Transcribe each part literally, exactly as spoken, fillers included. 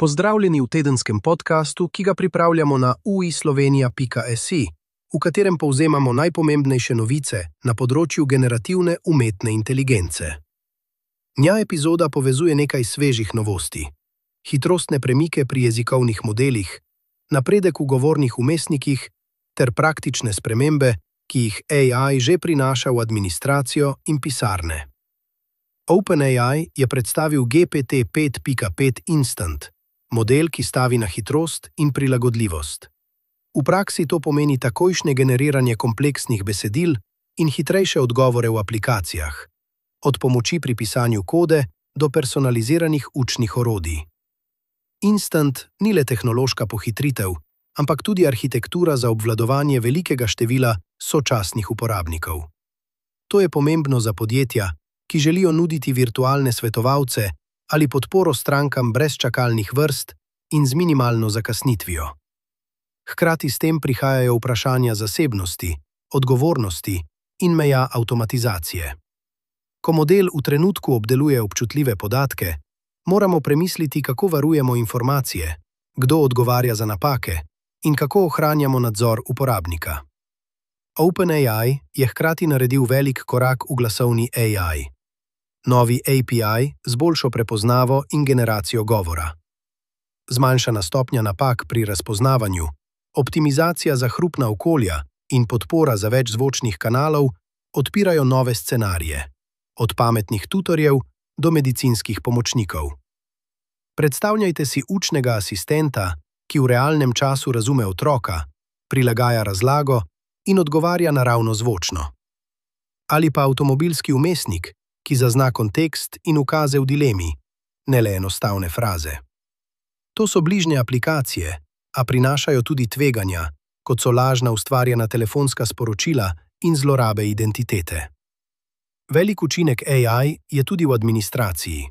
Pozdravljeni v tedenskem podkastu, ki ga pripravljamo na u i slovenija pika si, v katerem povzemamo najpomembnejše novice na področju generativne umetne inteligence. Nja epizoda povezuje nekaj svežih novosti. Hitrostne premike pri jezikovnih modelih, napredek v govornih vmesnikih ter praktične spremembe, ki jih A I že prinaša v administracijo in pisarne. OpenAI je predstavil G P T pet pika pet Instant, model, ki stavi na hitrost in prilagodljivost. V praksi to pomeni takojšnje generiranje kompleksnih besedil in hitrejše odgovore v aplikacijah, od pomoči pri pisanju kode do personaliziranih učnih orodij. Instant ni le tehnološka pohitritev, ampak tudi arhitektura za obvladovanje velikega števila sočasnih uporabnikov. To je pomembno za podjetja, ki želijo nuditi virtualne svetovalce ali podporo strankam brez čakalnih vrst in z minimalno zakasnitvijo. Hkrati s tem prihajajo vprašanja zasebnosti, odgovornosti in meja avtomatizacije. Ko model v trenutku obdeluje občutljive podatke, moramo premisliti, kako varujemo informacije, kdo odgovarja za napake in kako ohranjamo nadzor uporabnika. OpenAI je hkrati naredil velik korak v glasovni A I. Novi A P I z boljšo prepoznavo in generacijo govora. Zmanjšana stopnja napak pri razpoznavanju, optimizacija za hrupna okolja in podpora za več zvočnih kanalov odpirajo nove scenarije, od pametnih tutorjev do medicinskih pomočnikov. Predstavljajte si učnega asistenta, ki v realnem času razume otroka, prilagaja razlago in odgovarja naravno zvočno. Ali pa avtomobilski vmesnik, ki zazna kontekst in ukaze v dilemi, ne le enostavne fraze. To so bližnje aplikacije, a prinašajo tudi tveganja, kot so lažna ustvarjena telefonska sporočila in zlorabe identitete. Velik učinek A I je tudi v administraciji.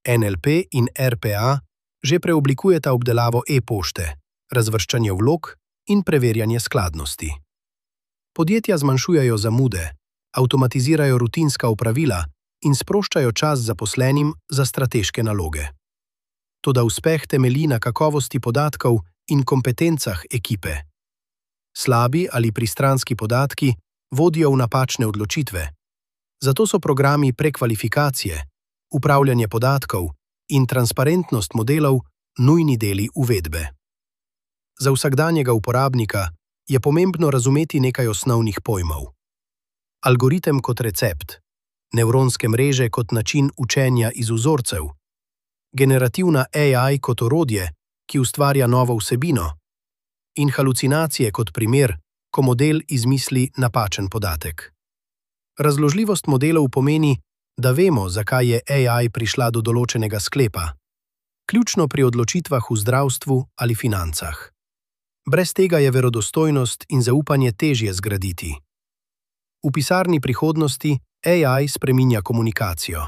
N L P in R P A že preoblikujeta obdelavo e-pošte, razvrščanje vlog in preverjanje skladnosti. Podjetja zmanjšujejo zamude, avtomatizirajo rutinska opravila in sproščajo čas zaposlenim za strateške naloge. Toda uspeh temelji na kakovosti podatkov in kompetencah ekipe. Slabi ali pristranski podatki vodijo v napačne odločitve. Zato so programi prekvalifikacije, upravljanje podatkov in transparentnost modelov nujni deli uvedbe. Za vsakdanjega uporabnika je pomembno razumeti nekaj osnovnih pojmov. Algoritem kot recept, nevronske mreže kot način učenja iz vzorcev, generativna A I kot orodje, ki ustvarja novo vsebino, in halucinacije kot primer, ko model izmisli napačen podatek. Razložljivost modelov pomeni, da vemo, zakaj je A I prišla do določenega sklepa, ključno pri odločitvah v zdravstvu ali financah. Brez tega je verodostojnost in zaupanje težje zgraditi. V pisarni prihodnosti A I spreminja komunikacijo.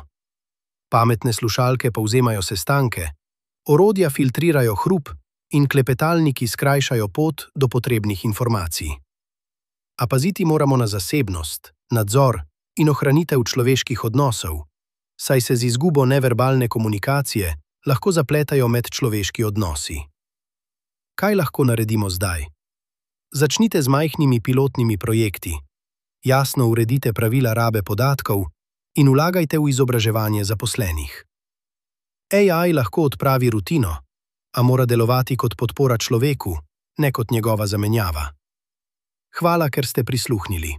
Pametne slušalke povzemajo sestanke, orodja filtrirajo hrup in klepetalniki skrajšajo pot do potrebnih informacij. A paziti moramo na zasebnost, nadzor in ohranitev človeških odnosov, saj se z izgubo neverbalne komunikacije lahko zapletajo medčloveški odnosi. Kaj lahko naredimo zdaj? Začnite z majhnimi pilotnimi projekti. Jasno uredite pravila rabe podatkov in vlagajte v izobraževanje zaposlenih. A I lahko odpravi rutino, a mora delovati kot podpora človeku, ne kot njegova zamenjava. Hvala, ker ste prisluhnili.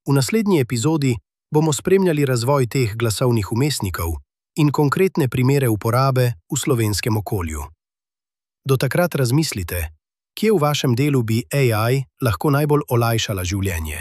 V naslednji epizodi bomo spremljali razvoj teh glasovnih vmesnikov in konkretne primere uporabe v slovenskem okolju. Do takrat razmislite, kje v vašem delu bi A I lahko najbolj olajšala življenje.